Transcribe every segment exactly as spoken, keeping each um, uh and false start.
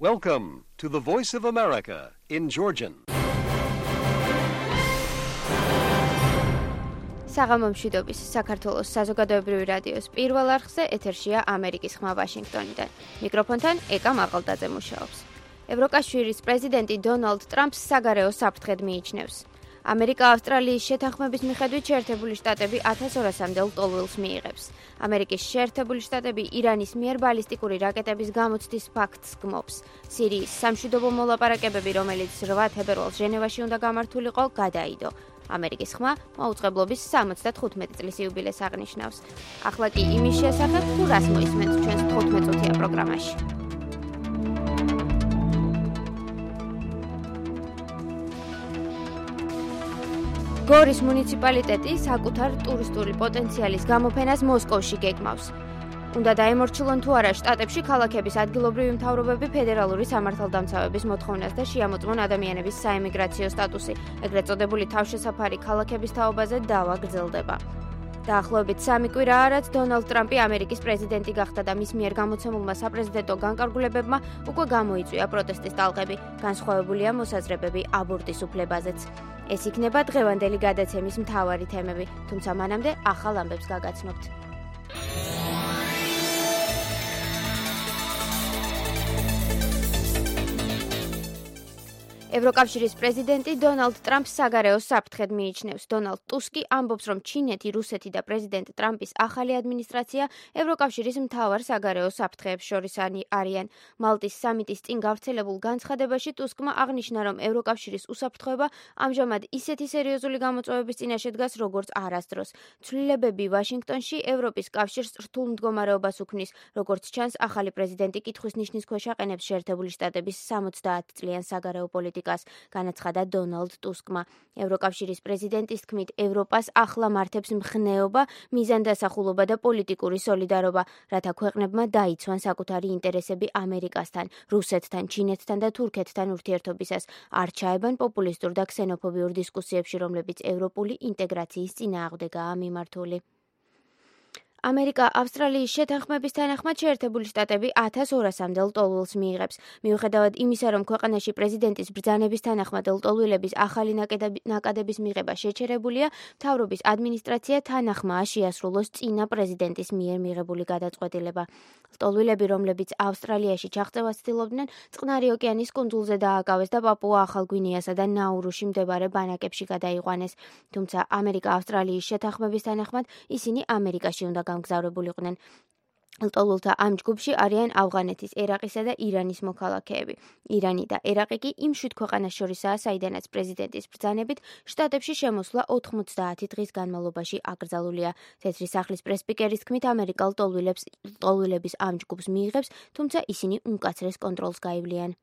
Welcome to the Voice of America in Georgian. საღამომშვიდობის საქართველოს საზოგადოებრივი რადიოს პირველ არხზე ეთერშია ამერიკის ხმა ვაშინგტონიდან. მიკროფონთან ეკა მაყალდაძე მუშაობს. ევროკავშირის პრეზიდენტი დონალდ ტრამპს საგარეო საფრთხედ მიიჩნევს. ამერიკა-ავსტრალიის შეთანხმების მიხედვით შეერთებული შტატები ათას ორასამდე ლტოლვილს მიიღებს. ამერიკის შეერთებული შტატები ირანის მიერ ბალისტიკური რაკეტების გამოცდის ფაქტს გმობს. სირიის სამშვიდობო მოლაპარაკებები, რომელიც რვა თებერვალს ჟენევაში უნდა გამართულიყო, გადაიდო. ამერიკის ხმა მაუწყებლობის სამოცდათხუთმეტი წლის იუბილეს აღნიშნავს. ახლა კი იმის შესახებ, თუ რას მოისმენთ ჩვენს თხუთმეტწუთიან პროგრამაში. გორის მუნიციპალიტეტი საკუთარ ტურისტული პოტენციალის გამოფენას მოსკოვში გეგმავს. უნდა დაემორჩილონ თუ არა შტატებში ქალაქების ადგილობრივი მთავრობები ფედერალური სამართალდამცავების მოთხოვნას და შეამოწმონ ადამიანების საემიგრაციო სტატუსი. ეგრეთ წოდებული თავშესაფარი ქალაქების თაობაზე დავა გრძელდება. დაახლოებით სამი კვირა არაც დონალდ ტრამპი ამერიკის პრეზიდენტი გახდა და მის მიერ გამოცემულმა საპრეზიდენტო განკარგულებებმა უკვე გამოიწვია პროტესტის ტალღები. განსხვავებულია მოსაზრებები აბორტის უფლებაზეც. ეს იქნება დღევანდელი გადაცემის მთავარი თემები, თუმცა მანამდე ახალ ამბებს გაგაცნობთ. ევროკავშირის პრეზიდენტი დონალდ ტრამპს საგარეო საფრთხედ მიიჩნევს. დონალდ ტუსკი ამბობს, რომ ჩინეთი, რუსეთი და პრეზიდენტ ტრამპის ახალი ადმინისტრაცია ევროკავშირის მთავარ საგარეო საფრთხეებს შორის არიან. მალტის სამიტის წინ გავრცელებულ განცხადებაში ტუსკმა აღნიშნა, რომ ევროკავშირის უსაფრთხოება ამჟამად ისეთი სერიოზული გამოწვევების წინაშე დგას, როგორც არასდროს. ცვლილებები ვაშინგტონში ევროპის კავშირს რთულ მდგომარეობას უქმნის, როგორც ჩანს, ახალი პრეზიდენტი კითხვის ნიშნის ქვეშ აყენებს შეერთებული შტატების სამოცდაათი წლიან საგარეო პოლიტიკას. განაცხადა დონალდ ტუსკმა. ევროკავშირის პრეზიდენტის თქმით, ევროპას ახლა მართებს მხნეობა, მიზანდასახულობა და პოლიტიკური სოლიდარობა, რათა ქვეყნებმა დაიცვან საკუთარი ინტერესები ამერიკასთან, რუსეთთან, ჩინეთთან და თურქეთთან ურთიერთობისას. არ ჩაებან პოპულისტურ და ქსენოფობიურ დისკუსიებში, რომლებიც ევროპული ინტეგრაციის წინააღმდეგაა მიმართული. ამერიკა-ავსტრალიის შეთანხმების თანახმად შეერთებული შტატები ათას ორასამდე ლტოლვილს მიიღებს. მიუხედავად იმისა, რომ ქვეყანაში პრეზიდენტის ბრძანების თანახმად ლტოლვილების ახალი ნაკადების მიღება შეჩერებულია, მთავრობის ადმინისტრაცია თანახმაა შეასრულოს წინა პრეზიდენტის მიერ მიღებული გადაწყვეტილება. ლტოლვილები, რომლებიც ავსტრალიაში ჩაღწევას ცდილობდნენ, წყნარი ოკეანის კუნძულზე დააკავეს და პაპუა-ახალ გვინეასა და ნაურუში მდებარე ბანაკებში გადაიყვანეს. თუმცა ამერიკა-ავსტრალიის შეთანხმების თანახმად ისინი ამერიკაში უნდა გამგზავრებულიყვნენ. ლტოლვილთა ამ ჯგუფში არიან ავღანეთის, ერაყისა და ირანის მოქალაქეები. ირანი და ერაყი კი იმ შვიდ ქვეყანას შორისაა, საიდანაც პრეზიდენტის ბრძანებით შტატებში შემოსვლა ოთხმოცდაათი დღის განმავლობაში აკრძალულია. თეთრი სახლის პრესპიკერის თქმით, ამერიკა ლტოლვილების ამ ჯგუფს მიიღებს, თუმცა ისინი უმკაცრეს კონტროლს გაივლიან.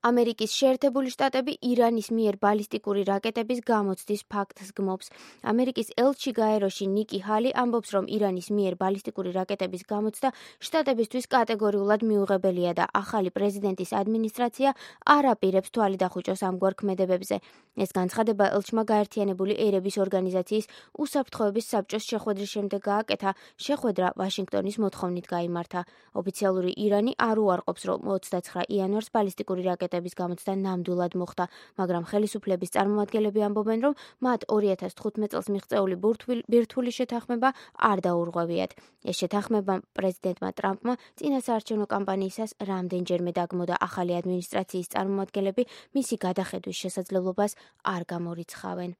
ამერიკის შეერთებული შტატები ირანის მიერ ბალისტიკური რაკეტების გამოცდის ფაქტს გმობს. ამერიკის ელჩი გაეროში ნიკი ჰალი ამბობს, რომ ირანის მიერ ბალისტიკური რაკეტების გამოცდა შტატებისთვის კატეგორიულად მიუღებელია და ახალი პრეზიდენტის ადმინისტრაცია არ აპირებს თვალი დახუჭოს ამგვარ ქმედებებზე. ეს განცხადება ელჩმა გაერთიანებული ერების ორგანიზაციის უსაფრთხოების საბჭოს შეხვედრის შემდეგ გააკეთა. შეხვედრა ვაშინგტონის მოთხოვნით გაიმართა. ოფიციალური ირანი არ უარყოფს, რომ ოცდაცხრა იანვარს ბალისტიკური რაკეტები რაკეტების გამოცდა ნამდვილად მოხდა, მაგრამ ხელისუფლების წარმომადგენლები ამბობენ, რომ მათ ორი ათას თხუთმეტ წელს მიღწეული ბირთვული შეთანხმება არ დაურღვევიათ. ეს შეთანხმება პრეზიდენტმა ტრამპმა წინა საარჩევნო კამპანიისას რამდენჯერმე დაგმო და ახალი ადმინისტრაციის წარმომადგენლები მისი გადახედვის შესაძლებლობას არ გამორიცხავენ.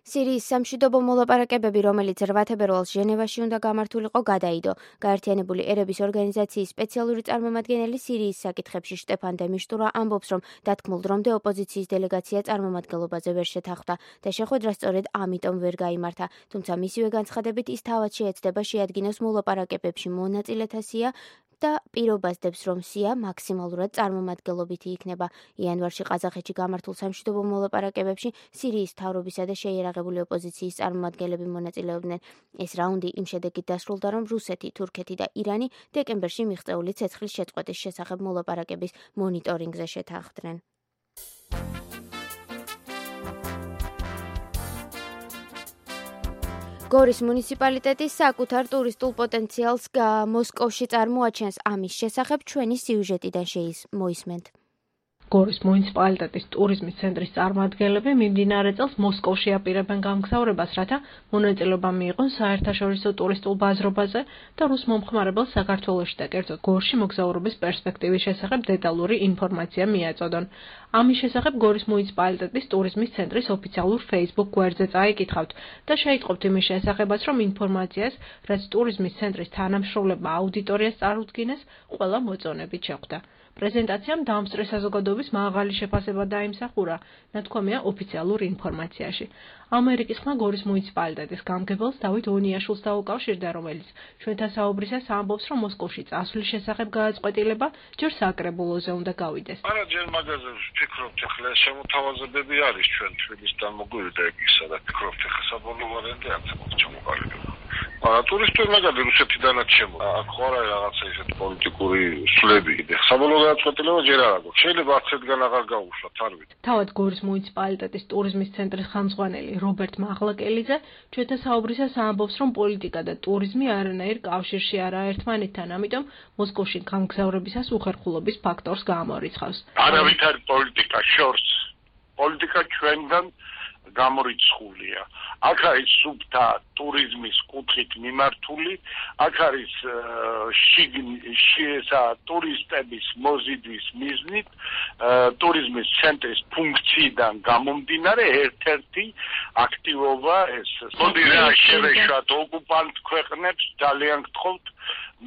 სირიის სამშვიდობო მოლაპარაკებები, რომელიც რვა თებერვალს ჟენევაში უნდა გამართულიყო, გადაიდო. გაერთიანებული ერების ორგანიზაციის სპეციალური წარმომადგენელი სირიის საკითხებში შტეფან დე მიშტურა ამბობს, რომ დათქმულ დრომდე ოპოზიციის დელეგაცია წარმომადგენლობაზე ვერ შეთანხმდა და შეხვედრა სწორედ ამიტომ ვერ გაიმართა. თუმცა მისივე განცხადებით ის თავად შეეცდება შეადგინოს მოლაპარაკებებში მონაწილეთა სია და პირობას დებს, რომ სია მაქსიმალურად წარმომადგენლობითი იქნება. იანვარში ყაზახეთში გამართულ სამშვიდობო მოლაპარაკებებში სირიის მთავრობისა და შეიარაღებული ოპოზიციის წარმომადგენლები მონაწილეობდნენ. ეს რაუნდი იმ შედეგით დასრულდა, რომ რუსეთი, თურქეთი და ირანი დეკემბერში მიღწეული ცეცხლის შეწყვეტის შესახებ მოლაპარაკების მონიტორინგზე შეთანხმდნენ. გორის მუნიციპალიტეტი საკუთარ ტურისტულ პოტენციალს მოსკოვში წარმოაჩენს. ამის შესახებ ჩვენი სიუჟეტიდან მოისმენთ. გორის მუნიციპალიტეტის ტურიზმის ცენტრის წარმომადგენლები მიმდინარე წელს მოსკოვში აპირებენ გამგზავრებას, რათა მონაწილეობა მიიღონ საერთაშორისო ტურისტულ ბაზრობაზე და რუს მომხმარებელს საქართველოში და კერძოდ გორში მოგზაურობის პერსპექტივის შესახებ დეტალური ინფორმაცია მიაწოდონ. ამის შესახებ გორის მუნიციპალიტეტის ტურიზმის ცენტრის ოფიციალურ Facebook გვერდზე წაიკითხავთ და შეიტყობთ იმის შესახებაც, რომ ინფორმაციას, რაც ტურიზმის ცენტრის თანამშრომლებმა აუდიტორიას წარუდგინეს, ყველა მოწონებით შეხვდა. პრეზენტაციამ დაამსწრე საზოგადოების მაღალი შეფასება დაიმსახურა, ნათქვამია ოფიციალურ ინფორმაციაში. ამერიკის ხმა გორის მუნიციპალიტეტის გამგებელს დავით ონიაშვილს დაუკავშირდა, რომელიც ჩვენთან საუბრისას ამბობს, რომ მოსკოვში წასვლის შესახებ გააწყვეტილება ჯერ საკრებულოზე უნდა გავიდეს. არა, ჯერ მაგაზე ვფიქრობთ, ახლა ეს შემოთავაზებები არის ჩვენ თბილისიდან მოგვივიდა ეგ ისა და ვფიქრობთ, ახლა საბოლოო ვარიანტი არც მოჩამოყალიბება. არა, ტურისტული მაგალითად რუსეთიდანაც შემოვა. აქ ხო არა რაღაცა ისეთი პოლიტიკური სვლები. საბოლოო გადაწყვეტილება ჯერ არ აქვს. შეიძლება არც ერთგან აღარ გაუშვათ, არ ვიცი. თავად გორის მუნიციპალიტეტის ტურიზმის ცენტრის ხელმძღვანელი რობერტ მაღლაკელიძე ჩვენთან საუბრისას ამბობს, რომ პოლიტიკა და ტურიზმი არანაირ კავშირში არაა ერთმანეთთან, ამიტომ მოსკოვში გამგზავრებისას უხერხულობის ფაქტორს გამორიცხავს. არავითარი პოლიტიკა შორს. პოლიტიკა ჩვენგან გამორიცხულია. აქ არის სუბთა ტურიზმის კუთხით მიმართული, აქ არის შიგნისა ტურისტების მოზიდვის მიზნით, ტურიზმის ცენტრის ფუნქციიდან გამომდინარე ერთ-ერთი აქტივობა ეს. მოდი რა შევეშვათ ოკუპანტ ქვეყნებს, ძალიან გთხოვთ,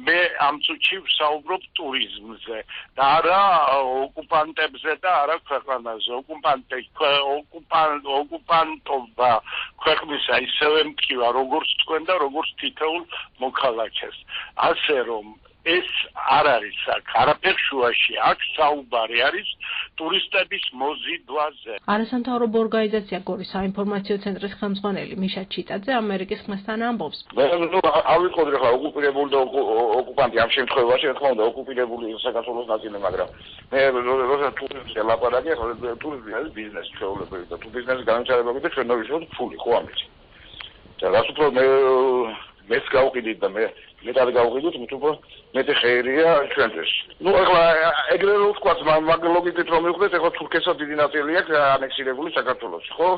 მე ამ წუთში ვსაუბრობ ტურიზმზე და არა ოკუპანტებზე და არა ქვეყანაზე. ოკუპანტი ოკუპანტ ოკუპანტობა ქვეყნისა ისევე მტკივა, როგორც თქვენ და როგორც თითოეულ მოქალაქეს. ასე რომ ეს არ არის აქ, არაფერ შუაში, აქ საუბარი არის ტურისტების მოზიდვაზე. არასამთავრობო ორგანიზაცია გორის საინფორმაციო ცენტრის ხელმძღვანელი მიშა ჩიტაძე ამერიკის ხმასთან ამბობს. ნუ ავიყოთ ახლა ოკუპირებული და ოკუპანტი ამ შემთხვევაში, რა თქმა უნდა, ოკუპირებული საქართველოს ნაწილი, მაგრამ მე როცა ტურიზმზე ლაპარაკი, ახლა ტურიზმი არის ბიზნესი ჩვეულებრივი და თუ ბიზნესის განვითარება გითხრა, ჩვენ ნოვიშოთ ფული, ხო ამით. და რაც უფრო მე მეც გავყიდით და მე მეტად გავყიდოთ, მით უფრო მეტი ხეირია ჩვენთვის. ნუ ახლა ეგრე რო ვთქვათ, მაგ ლოგიკით რომ მივხვდეთ, ახლა თურქეთსაც დიდი ნაწილი აქვს ანექსირებული საქართველოში, ხო?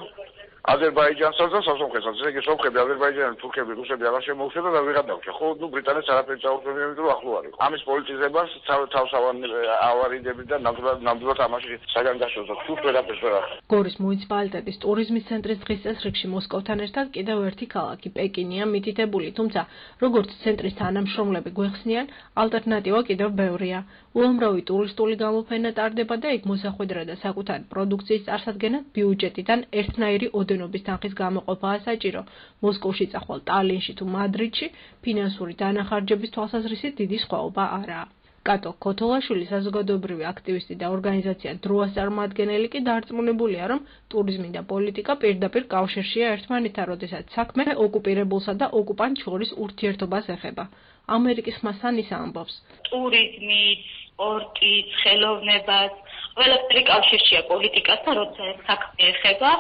აზერბაიჯანსაც და სასამხეთსაც, ესე იგი სომხები, აზერბაიჯანელი, თურქები, რუსები აღარ შემოუშვეს და ვიღად დავჭა, ხო? ნუ ბრიტანეთს არაფერი წაუწევია, იმიტომ რომ ახლო არის. ამის პოლიტიზებას თავს ავარიდები და ნამდვილად ამაში საგანგაშოს და თუ ვერაფერს ვერ ახერხებს. გორის მუნიციპალიტეტის ტურიზმის ცენტრის დღის წესრიგში მოსკოვთან ერთად კიდევ ერთი ქალაქი პეკინია მითითებული, თუმცა როგორც ცენტრის თანამშრომლები გვეხსნიან, ალტერნატივა კიდევ ბევრია. უამრავი ტურისტული გამოფენა ტარდება და იქ მოსახვედრა და საკუთარი პროდუქციის წარსადგენად ბიუჯეტიდან ერთნაირი ოდენობის თანხის გამოყოფაა საჭირო. მოსკოვში წახვალ ტალინში თუ მადრიდში ფინანსური დანახარჯების თვალსაზრისით დიდი სხვაობა არაა. კატო ქოთოლაშვილი საზოგადოებრივი აქტივისტი და ორგანიზაცია დროას წარმომადგენელი კი დარწმუნებულია, რომ ტურიზმი და პოლიტიკა პირდაპირ კავშირშია ერთმანეთთან, როდესაც საქმე ოკუპირებულსა და ოკუპანტ შორის ურთიერთობას ეხება. ამერიკის ხმასთან ის ამბობს. ტურიზმით, სპორტით, ხელოვნებას, ყველაფერი კავშირშია პოლიტიკასთან, როცა საქმე ეხება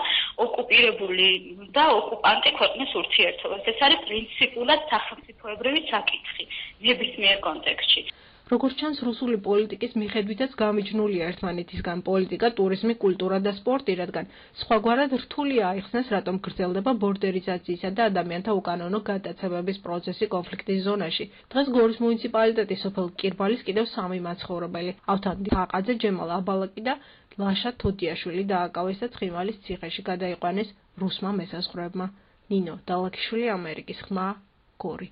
ოკუპირებული და ოკუპანტი ქვეყნის ურთიერთობას. ეს არის პრინციპულად სახელმწიფოებრივი საკითხი ნებისმიერ კონტექსტში. როგორც ჩანს, რუსული პოლიტიკის მიხედვითაც გამიჯნულია ერთმანეთისგან პოლიტიკა, ტურიზმი, კულტურა და სპორტი, რადგან სხვაგვარად რთულია აიხსნას, რატომ გრძელდება ბორდერიზაციისა და ადამიანთა უკანონო გადაცემების პროცესი კონფლიქტის ზონაში. დღეს გორის მუნიციპალიტეტის სოფელ კირბალის კიდევ სამი მაცხოვრებელი, ავთანდი ხაყაძე, ჯემალ აბალაკი და ლაშა თოდიაშვილი დააკავეს და ცხინვალის ციხეში გადაიყვანეს რუსმა მესაზღვრეებმა. ნინო დალაქიშვილი, ამერიკის ხმა, გორი.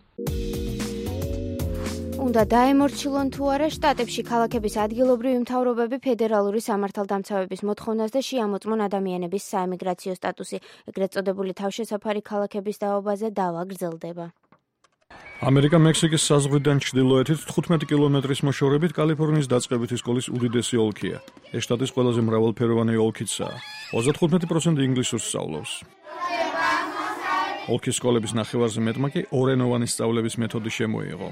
უნდა დაემორჩილონ თუ არა შტატებში ქალაქების ადგილობრივი მთავრობები ფედერალური სამართალდამცავების მოთხოვნას და შეამოწმონ ადამიანების საემიგრაციო სტატუსი. ეგრეთ წოდებული თავშესაფარი ქალაქების დაობაზე დავა გრძელდება. ამერიკა მექსიკის საზღვრიდან ჩრდილოეთით თხუთმეტი კილომეტრის მოშორებით კალიფორნიის დაწყებითი სკოლის უდიდესი ოლქია. ეს შტატის ყველაზე მრავალფეროვანი ოლქიცაა. ოცდათხუთმეტი პროცენტი ინგლისურს სწავლობს. ოლქის სკოლების ნახევარზე მეტმა კი ორენოვანი სწავლების მეთოდი შემოიღო.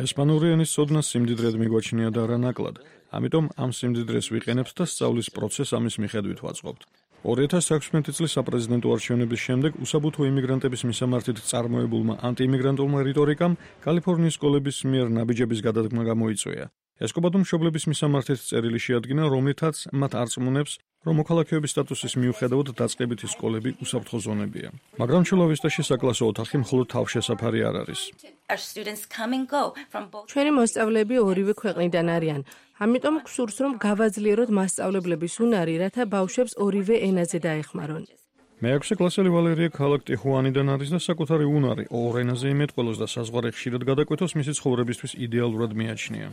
ესპანური ენის ცოდნა სიმდიდრედ მიგვაჩნია და არა ნაკლად, ამიტომ ამ სიმდიდრეს ვიყენებთ და სწავლის პროცესს ამის მიხედვით ვაწყობთ. ორი ათას ექვსმეტი წლის საპრეზიდენტო არჩევნების შემდეგ უსაბუთო იმიგრანტების მისამართით წარმოებულმა ანტიიმიგრანტულმა რიტორიკამ კალიფორნიის სკოლების მიერ ნაბიჯების გადადგმა გამოიწვია. ესკობადომ მშობლების მისამართით წერილი შეადგინა, რომლითაც მათ არწმუნებს, რომ მოქალაქეობის სტატუსის მიუხედავად დაწყებითი სკოლები უსაფრთხო ზონებია. მაგრამ ჩულავისტაში საკლასო ოთახი მხოლოდ თავშესაფარი არ არის. ჩვენი მოსწავლეები ორივე ქვეყნიდან არიან. ამიტომ გსურს, რომ გავაძლიეროთ მასწავლებლების უნარი, რათა ბავშვებს ორივე ენაზე დაეხმარონ. მეექვსე კლასელი ვალერია ქალაქ ტიხუანიდან არის და საკუთარი უნარი ორ ენაზე იმეთყველოს და საზღვარი ხშირად გადაკვეთოს მისი ცხოვრებისთვის იდეალურად მიაჩნია.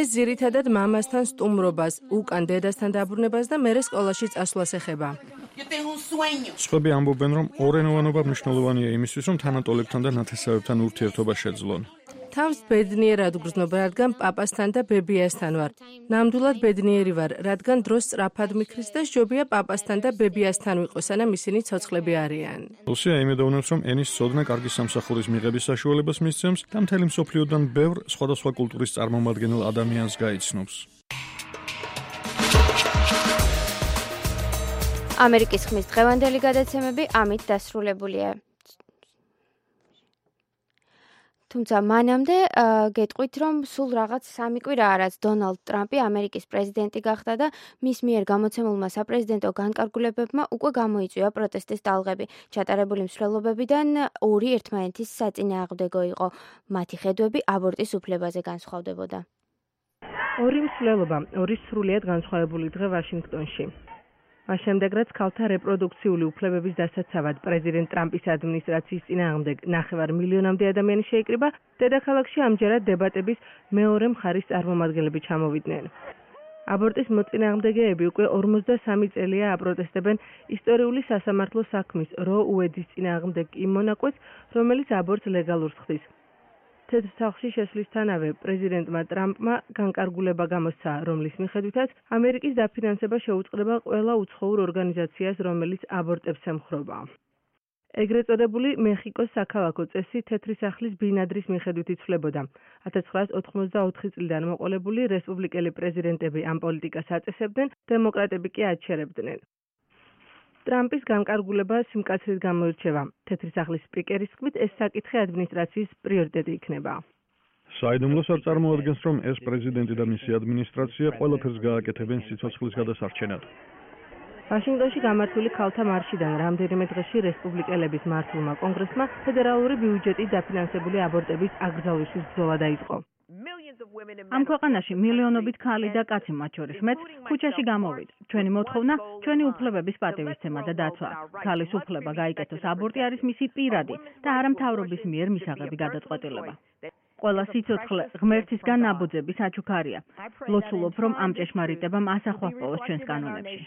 ეს ძირითადად მამასთან სტუმრობას, უკან დედასთან დაბრუნებას და მერე სკოლაში წასვლას ეხება. სხვები ამბობენ, რომ ორენოვანობა მნიშვნელოვანია იმისთვის, რომ თანატოლებთან და ნათესავებთან ურთიერთობა შეძლონ. თავს ბედნიერად ვგრძნობ, რადგან პაპასთან და ბებიასთან ვარ. ნამდვილად ბედნიერი ვარ, რადგან დროს სწრაფად მიქრის და სჯობია პაპასთან და ბებიასთან ვიყო, სანამ ისინი ცოცხლები არიან. ლუსია იმედოვნებს, რომ ენის ცოდნა კარგი სამსახურის მიღების საშუალებას მისცემს და მთელი მსოფლიოდან ბევრ სხვადასხვა კულტურის წარმომადგენელ ადამიანს გაიცნობს. ამერიკის ხმის დღევანდელი გადაცემები ამით დასრულებულია. თუმცა მანამდე გეტყვით, რომ სულ რაღაც სამი კვირაა, რაც დონალდ ტრამპი ამერიკის პრეზიდენტი გახდა და მის მიერ გამოცემულმა საპრეზიდენტო განკარგულებებმა უკვე გამოიწვია პროტესტის ტალღები. ჩატარებული მსვლელობებიდან ორი ერთმანეთის საწინააღმდეგო იყო. მათი ხედვები აბორტის უფლებაზე განსხვავდებოდა. ორი მსვლელობა, ორი სრულიად განსხვავებული დღე ვაშინგტონში. მას შემდეგ, რაც ქალთა რეპროდუქციული უფლებების დასაცავად პრეზიდენტ ტრამპის ადმინისტრაციის წინააღმდეგ ნახევარ მილიონამდე ადამიანი შეიკრიბა, დედაქალაქში ამჯერად დებატების მეორე მხარის წარმომადგენლები ჩამოვიდნენ. აბორტის მოწინააღმდეგეები უკვე ორმოცდასამი წელია აპროტესტებენ ისტორიული სასამართლო საქმის რო უედის წინააღმდეგ იმ მონაკვეთს, რომელიც აბორტს ლეგალურს ხდის. თეთრ სახლში შესვლისთანავე პრეზიდენტმა ტრამპმა განკარგულება გამოსცა, რომლის მიხედვითაც ამერიკის დაფინანსება შეუწყდება ყველა უცხოურ ორგანიზაციას, რომელიც აბორტებს ემხრობა. ეგრეთ წოდებული მეხიკოს საქალაქო წესი თეთრი სახლის ბინადრის მიხედვით იცვლებოდა. ათას ცხრაას ოთხმოცდაოთხი წლიდან მოყოლებული რესპუბლიკელი პრეზიდენტები ამ პოლიტიკას აწესებდნენ, დემოკრატები კი აჩერებდნენ. ტრამპის განკარგულება სიმკაცრით გამოირჩევა. თეთრი სახლის სპიკერის თქმით, ეს საკითხი ადმინისტრაციის პრიორიტეტი იქნება. საიდუმლოს არ წარმოადგენს, რომ ეს პრეზიდენტი და მისი ადმინისტრაცია ყველაფერს გააკეთებენ სიცოცხლის გადასარჩენად. ვაშინგტონში გამართული ქალთა მარშიდან რამდენიმე დღეში რესპუბლიკელების მართულმა კონგრესმა ფედერალური ბიუჯეტით დაფინანსებული აბორტების აკრძალვისთვის ბრძოლა დაიწყო. ამ ქვეყანაში მილიონობით ქალი და კაცი მათ შორის მეც ქუჩაში გამოვიდა. ჩვენი მოთხოვნა, ჩვენი უფლებების პატივისცემა და დაცვა. ქალის უფლება გაიკეთოს აბორტი არის მისი პირადი და არა მთავრობის მიერ მისაღები გადაწყვეტილება. ყველა სიცოცხლე ღმერთისგან ნაბოძების აჩუქარია. ლოცულობ, რომ ამ ჭეშმარიტებამ ასახვა ჰპოვოს ჩვენს კანონებში.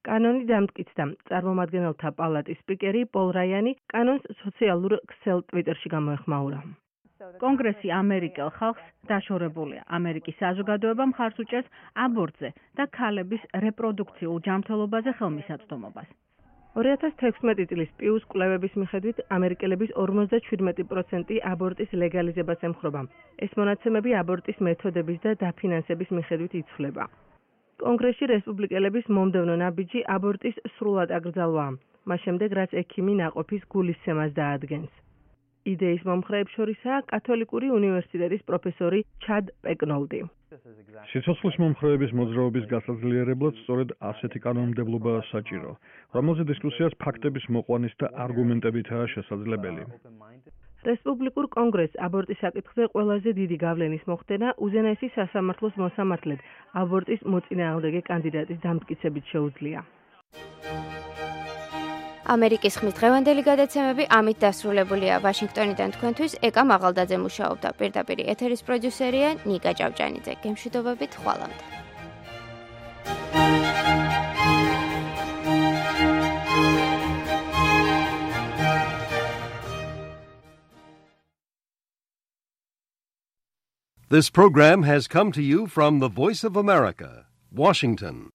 კანონი დამტკიცდა. წარმომადგენელთა პალატის სპიკერი პოლ რაიანი კანონს სოციალურ ქსელ ტვიტერში გამოეხმაურა. კონგრესი ამერიკელ ხალხს დაშორებულია. ამერიკის საზოგადოება მხარს უჭერს აბორტზე და ქალების რეპროდუქციულ ჯანმრთელობაზე ხელმისაწვდომობას. ორი ათას თექვსმეტი წლის პიუს კვლევების მიხედვით ამერიკელების ორმოცდაშვიდმეტი პროცენტი აბორტის ლეგალიზებას ემხრობა. ეს მონაცემები აბორტის მეთოდების და დაფინანსების მიხედვით იცვლება. კონგრესში რესპუბლიკელების მომდევნო ნაბიჯი აბორტის სრულად აკრძალვაა. მას შემდეგ, რაც ექიმი ნაყოფის გულისცემას დაადგენს. იდეის მომხრეებს შორისაა კათოლიკური უნივერსიტეტის პროფესორი ჩად პეკნოლდი. სიცოცხლის მომხრეების მოძრაობის გასაძლიერებლად სწორედ ასეთი კანონმდებლობაა საჭირო, რომელზე დისკუსიას ფაქტების მოყვანის და არგუმენტებითაა შესაძლებელი. რესპუბლიკურ კონგრესს აბორტის საკითხზე ყველაზე დიდი გავლენის მოხდენა უზენაესი სასამართლოს მოსამართლედ აბორტის მოწინააღმდეგე კანდიდატის დამტკიცებით შეუძლია. ამერიკის ხმის დღევანდელი გადაცემები ამით დასრულებულია. ვაშინგტონიდან თქვენთვის ეკა მაღალდაძე მუშაობდა. პირდაპირ ეთერის პროდიუსერია ნიკა ჭავჭანიძე. გემშვიდობებით, ხვალამდე. This program has come to you from the Voice of America, Washington.